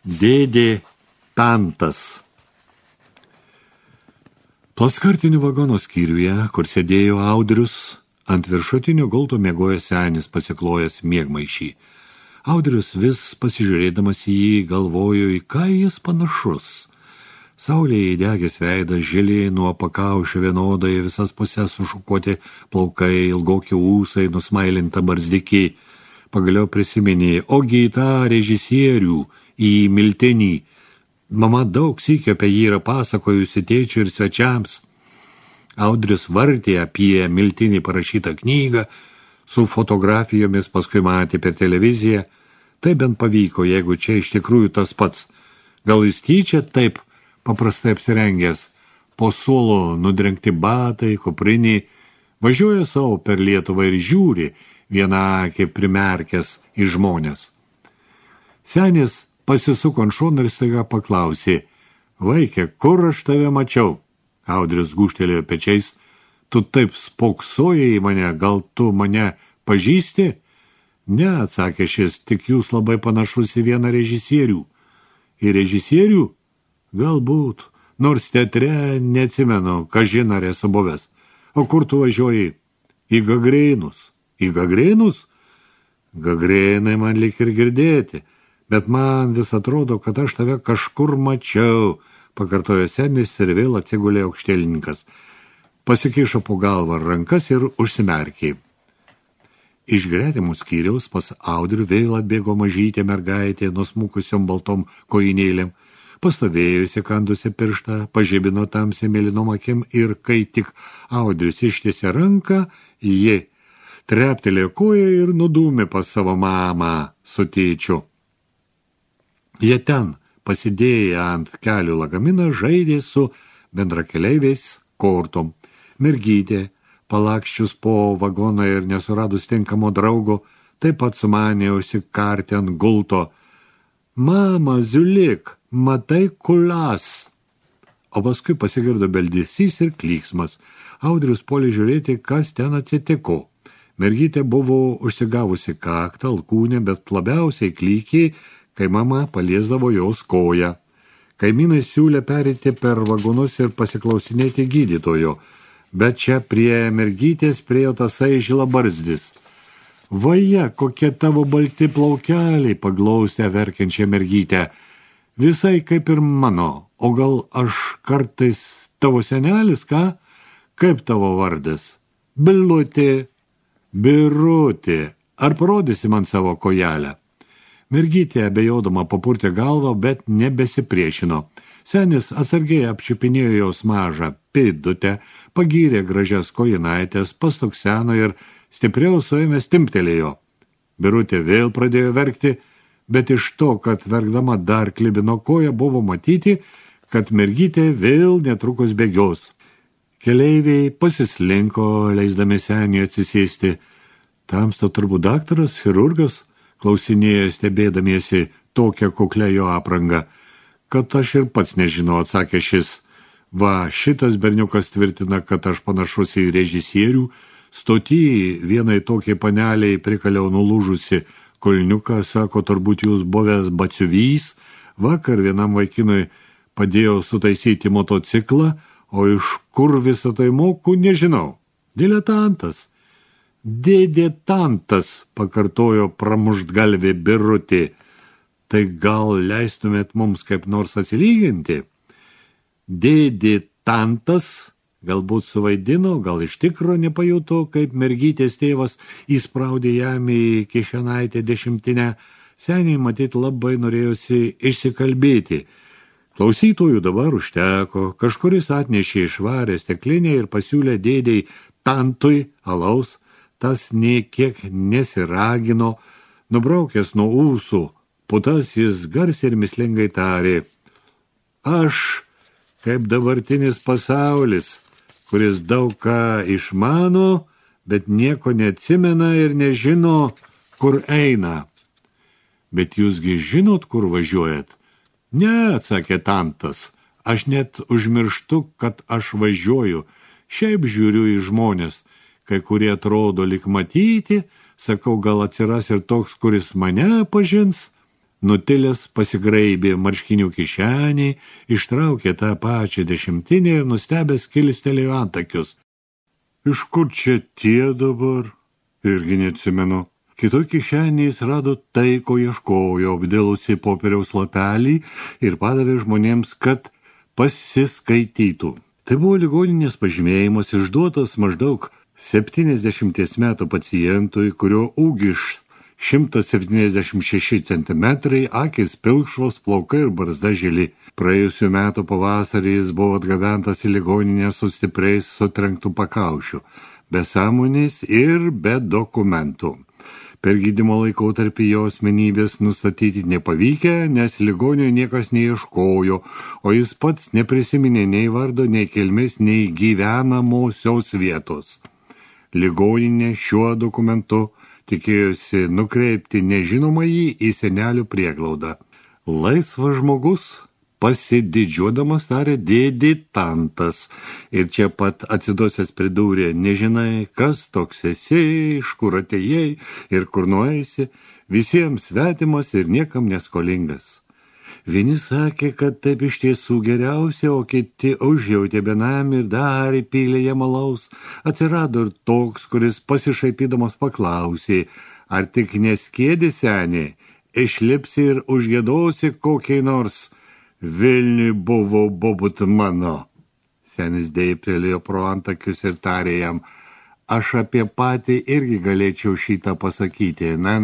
Dėdė Tantas. Plaskartinių vagono skyriuje, kur sėdėjo Audrius, ant viršutinio gulto miegojo senis pasiklojęs miegmaišį. Audrius vis pasižiūrėdamas į jį galvojo, į ką jis panašus. Saulėje įdegęs veidas, žili nuo pakaušio vienodai, visas pusės sušukuoti plaukai, ilgoki ūsai, nusmailinta barzdikiai. Pagaliau prisiminė, ogi į tą režisierių, į Miltinį. Mama daug sykio apie jį yra pasakojusi tėčiui ir svečiams. Audrius vartė apie Miltinį parašytą knygą su fotografijomis, paskui matė per televiziją. Tai bent pavyko, jeigu čia iš tikrųjų tas pats. Gal jis tyčia taip paprastai apsirengęs, po suolo nudrengti batai, kuprinį, važiuoja savo per Lietuvą ir žiūri, vieną akį primerkęs į žmonės. Senis pasisuko ant šono ir staiga paklausė, vaikė, kur aš tave mačiau? Audrius gūžtelėjo pečiais, tu taip spoksojai į mane, gal tu mane pažįsti? Ne, atsakė šis, tik jūs labai panašus į vieną režisierių. Į režisierių? Galbūt, nors teatre neatsimenu, kažin ar esu buvęs. O kur tu važiuoji? Į Gagrėnus. Į Gagrėnus? Gagrėnai man lyg ir girdėti, bet man vis atrodo, kad aš tave kažkur mačiau, pakartojo senis ir vėl atsigulė aukštėlininkas. Pasikišo po galvą rankas ir užsimerkė. Iš gretimų skyriaus pas Audrių vėl atbėgo mažytė mergaitė nusmukusiom baltom kojinėlėm. Pastovėjo įsikandusi pirštą, pažibino tamsiai mėlynom akim ir kai tik Audrius ištiesė ranką, ji treptelėjo koją ir nudūmė pas savo mamą su tėčiu. Jie ten, pasidėję ant kelių lagaminą, žaidė su bendrakeleiviais kortom. Mergytė, palakščius po vagoną ir nesuradus tinkamo draugo, taip pat sumanė užsikarti ant gulto. Mama, ziulik, matai kulas. O paskui pasigirdo beldesys ir klyksmas. Audrius puolė žiūrėti, kas ten atsitiko. Mergytė buvo užsigavusi kaktą, alkūnę, bet labiausiai klykiai, kai mama paliesdavo jos koją. Kaimynai siūlė pereiti per vagonus ir pasiklausinėti gydytojo, bet čia prie mergytės priėjo tasai žilabarzdis. Vaje, kokie tavo balti plaukeliai, paglaustė verkiančią mergytę. Visai kaip ir mano, o gal aš kartais tavo senelis, ką? Kaip tavo vardas? Bilutė, Birutė, ar parodysi man savo kojelę? Mergytė abejodama papurtė galvą, bet nebesipriešino. Senis atsargiai apčiupinėjo jos mažą pėdutę, pagyrė gražias kojinaitės, pastukseno ir stipriau suėmęs timptelėjo. Birutė vėl pradėjo verkti, bet iš to, kad verkdama dar klibino koją, buvo matyti, kad mergytė vėl netrukus bėgios. Keleiviai pasislinko, leisdami seniui atsisėsti. Tamsta turbūt daktaras, chirurgas, klausinėjo stebėdamiesi tokią kuklę jo aprangą. Kad aš ir pats nežinau, atsakė šis. Va, šitas berniukas tvirtina, kad aš panašus į režisierių. Stoty vienai tokiai paneliai prikaliau nulūžusi kulniuką, sako, turbūt jūs buvęs batsiuvys. Vakar vienam vaikinui padėjau sutaisyti motociklą, o iš kur visą tai moku, nežinau. Diletantas. Dėdė Tantas, pakartojo pramuštgalvė Birutė. Tai gal leistumėt mums kaip nors atsilyginti? Dėdė Tantas galbūt suvaidino, gal iš tikro nepajuto, kaip mergytės tėvas įspraudė jam į kišenaitę dešimtinę. Seniai matyt labai norėjosi išsikalbėti. Klausytojų dabar užteko, kažkuris atnešė švarę steklinę ir pasiūlė dėdei Tantui alaus. Tas nė kiek nesiragino, nubraukęs nuo ūsų putas, jis garsiai ir mislingai tarė. Aš, kaip dabartinis pasaulis, kuris daug ką išmano, bet nieko neatsimena ir nežino, kur eina. Bet jūsgi žinot, kur važiuojat? Ne, atsakė Tantas, aš net užmirštu, kad aš važiuoju. Šiaip žiūriu į žmonės, kai kurie atrodo lyg matyti, sakau, gal atsiras ir toks, kuris mane pažins. Nutilęs pasigraibė marškinių kišeniai, ištraukė tą pačią dešimtinę ir nustebęs kilstelėjo antakius. Iš kur čia tie dabar? Irgi neatsimenu. Kitoj kišenėje jis rado tai, ko ieškojo, apdėlusi popieriaus lapelį ir padavė žmonėms, kad pasiskaitytų. Tai buvo ligoninės pažymėjimas išduotas maždaug 70 metų pacientui, kurio ūgis 176 centimetrai, akys pilkšvos, plaukai ir barzda žili. Praėjusių metų pavasarį jis buvo atgabentas į ligoninę su stipriais sutrenktų pakaušių, be sąmonės ir be dokumentų. Per gydymo laikotarpį jo asmenybės nustatyti nepavykę, nes ligonio niekas neieškojo, o jis pats neprisiminė nei vardo, nei kilmės, nei gyvenamosios vietos. Ligoninė šiuo dokumentu tikėjosi nukreipti nežinomąjį į senelių prieglaudą. Laisvas žmogus, pasididžiuodamas tarė dėdė Tantas ir čia pat atsidosęs pridūrė, nežinai, kas toks esi, iš kur atėjai ir kur nueisi, visiems svetimas ir niekam neskolingas. Vieni sakė, kad taip iš tiesų geriausia, o kiti užjautė benamį ir dar įpylė jam alaus. Atsirado ir toks, kuris pasišaipydamas paklausė, ar tik neskėdi senė, išlipsi ir užgiedosi kokiai nors Vilniui buvo bobut mano. Senis dėptelėjo pro antakius ir tarė jam, aš apie patį irgi galėčiau šitą pasakyti. Na,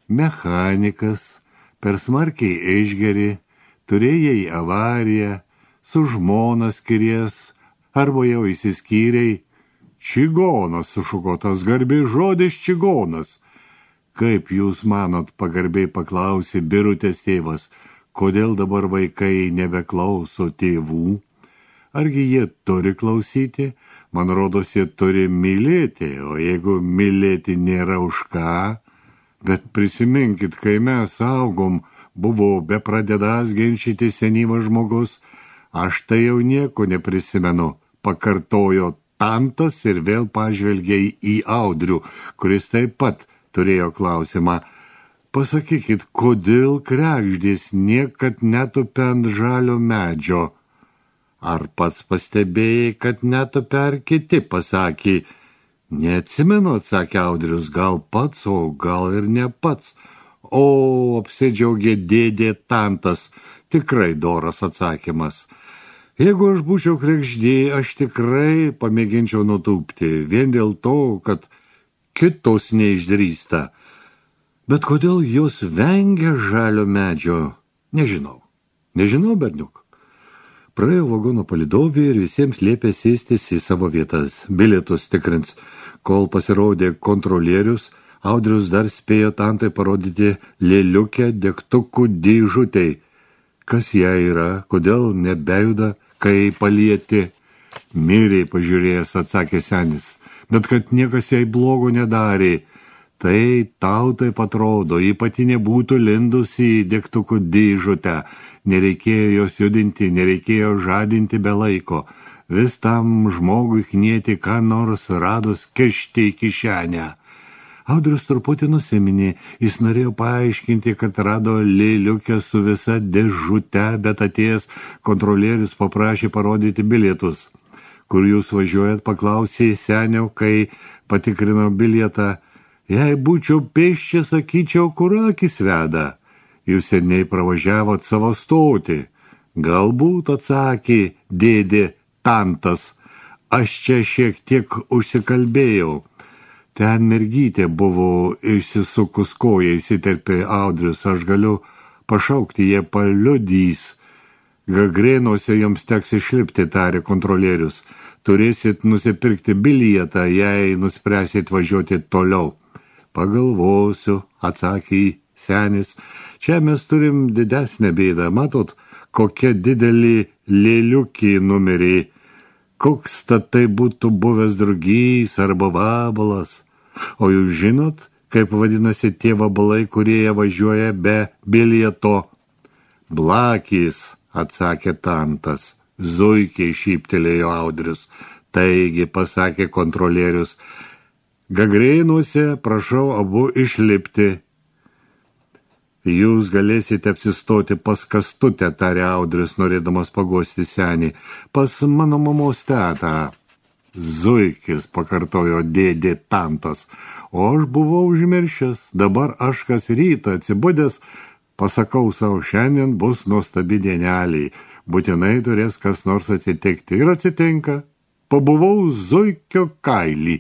mechanikas, per smarkiai išgeri, turėjai avariją, su žmona skiries, arba jau įsiskyrei. Čigonas, sušuko tas garbiai žodis čigonas. Kaip jūs manot, pagarbiai paklausė Birutės tėvas, kodėl dabar vaikai nebeklauso tėvų? Argi jie turi klausyti? Man rodos, jie turi mylėti, o jeigu mylėti nėra už ką? Bet prisiminkit, kai mes augom, buvo bepradedąs ginčyti senyvas žmogus, aš tai jau nieko neprisimenu, pakartojo Tantas ir vėl pažvelgė į Audrių, kuris taip pat turėjo klausimą. Pasakykit, kodėl kregždės niekad netupia ant žalio medžio? Ar pats pastebėjai, kad netupia ar kiti, pasakė? Neatsimenu, atsakė Audrius, gal pats, o gal ir ne pats. O, apsidžiaugė dėdė Tantas, tikrai doras atsakymas. Jeigu aš būčiau kregždė, aš tikrai pamėginčiau nutūpti, vien dėl to, kad kitos neišdrįsta. Bet kodėl jos vengia žalio medžio? Nežinau, berniuk. Praėjo vagono palydovė ir visiems liepė sėstis į savo vietas. Bilietus tikrins. Kol pasirodė kontrolierius, Audrius dar spėjo Tantai parodyti lėliukę degtukų dėžutei. Kas ją yra, kodėl nebejuda, kai palieti? Miriai pažiūrėjęs, atsakė senis, bet kad niekas jai blogo nedarė. Tai tau taip atrodo, ji pati nebūtų lindusi į degtukų dėžutę. Nereikėjo jos judinti, nereikėjo žadinti be laiko. Vis tam žmogui knieti, ką nors radus kišti į kišenę. Audrius truputį nusiminė, jis norėjo paaiškinti, kad rado lėliukę su visa dėžute, bet atėjęs kontrolierius paprašė parodyti bilietus. Kur jūs važiuojat, paklausė senio, kai patikrino bilietą. Jei būčiau pėsčia, sakyčiau, kur akis veda. Jūs seniai pravažiavot savo stotį. Galbūt, atsakė dėdė Tantas, aš čia šiek tiek užsikalbėjau. Ten mergytė buvo išsisukus koją, įsiterpė Audrius, aš galiu pašaukti, jie paliudys. Gagrėnuose jums teks išlipti, tarė kontrolierius. Turėsit nusipirkti bilietą, jei nuspręsit važiuoti toliau. Pagalvosiu, atsakė senis. Čia mes turim didesnę bėdą. Matot, kokia didelį lėliukį numerį. Koks tai būtų buvęs drugys arba vabalas. O jūs žinot, kaip vadinasi tie vabalai, kurie važiuoja be bilieto? Blakys, atsakė Tantas. Zuikiai, šyptelėjo Audrius. Taigi, pasakė kontrolierius, Gagrėnuose prašau abu išlipti. Jūs galėsite apsistoti pas Kastutę, tarė Audrius, norėdamas paguosti senį. Pas mano mamos tetą. Zuikis, pakartojo dėdė Tantas. O aš buvau užmiršęs. Dabar aš kas rytą atsibudęs, pasakau savo, šiandien bus nuostabi dienelė. Būtinai turės kas nors atsitikti. Ir atsitinka. Pabuvau zuikio kailį.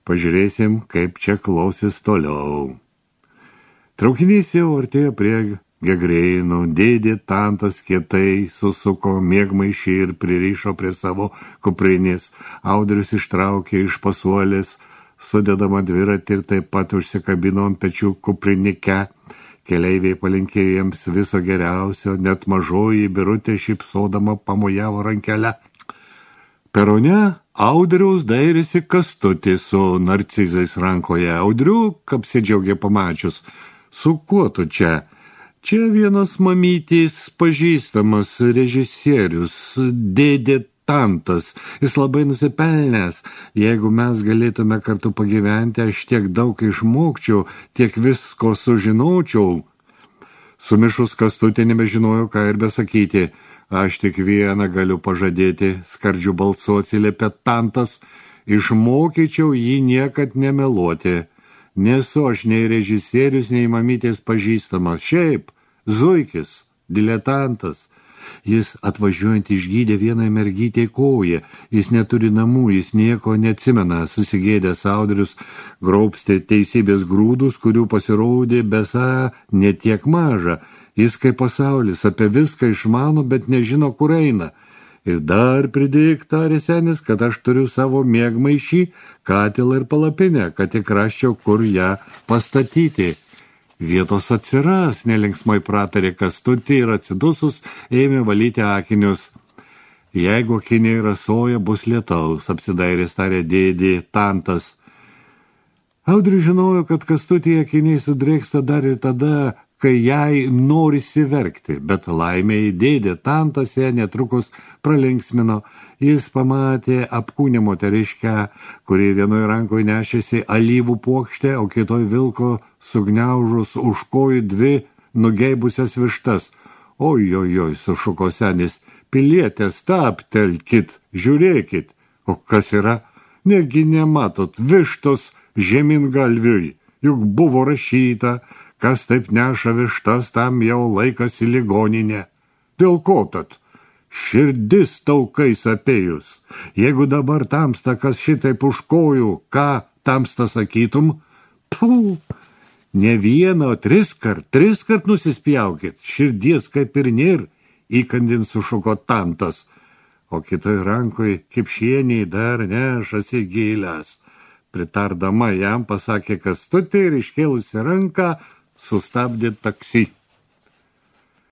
Pažiūrėsim, kaip čia klausis toliau. Traukinys jau artėjo prie Gegreinų, dėdė Tantas kietai susuko miegmaišį ir pririšo prie savo kuprinės. Audrius ištraukė iš pasuolės sudedamą dviratį ir taip pat užsikabino ant pečių kuprinikę. Keleiviai palinkėjo jiems viso geriausio, net mažoji Birutė šypsodama pamojavo rankelę. Perone Audriaus dairėsi Kastutį su narcizais rankoje. Audriuk apsidžiaugė pamačius. Su kuo tu čia? Čia vienas mamytis pažįstamas režisierius, dėdė Tantas. Jis labai nusipelnęs. Jeigu mes galėtume kartu pagyventi, aš tiek daug išmokčiau, tiek visko sužinočiau. Sumišus Kastutė nebežinojo, ką ir besakyti. Aš tik vieną galiu pažadėti, skardžiu balsu atsiliepė Tantas. Išmokyčiau jį niekad nemeluoti. Nesu aš nei režisierius, nei mamytės pažįstamas. Šiaip, zuikis, diletantas. Jis atvažiuojant išgydė vienai mergytei koją. Jis neturi namų, jis nieko neatsimena. Susigėdęs Audrius graubstė teisybės grūdus, kurių pasirodė besą netiek maža. Jis kaip pasaulis, apie viską išmano, bet nežino, kur eina. Ir dar pridėk, tarė senis, kad aš turiu savo miegmaišį, katilą ir palapinę, kad tik rasčiau, kur ją pastatyti. Vietos atsiras, nelinksmai pratarė Kastutį ir atsidusus ėmė valyti akinius. Jeigu akiniai rasoja, bus lietaus, apsidairės tarė dėdė Tantas. Audrius žinojo, kad Kastutį akiniai sudrėksta dar ir tada, kai jai norisi verkti, bet laimei dėdė Tantas ją netrukus pralinksmino. Jis pamatė apkūnę moteriškę, kuri vienoje rankoje nešėsi alyvų puokštę, o kitoj vilko sugniaužus už kojų dvi nugeibusias vištas. Ojojoj, sušuko senis, pilietė, stabtelkit, žiūrėkit. O kas yra? Negi nematot, vištos žemyn galviui, juk buvo rašyta, kas taip neša vištas, tam jau laikas į ligoninę. Dėl ko tad? Širdis taukais apėjus. Jeigu dabar tamsta, kas šitaip už kojų, ką tamsta sakytum? Puh, ne vieną, o triskart nusispjaukit. Širdies kaip ir nėr, įkandin sušuko Tantas. O kitoj rankoj kipšieniai dar nešasi gėlės. Pritardama jam pasakė Kastutė ir iškėlusi ranką sustabdė taksi.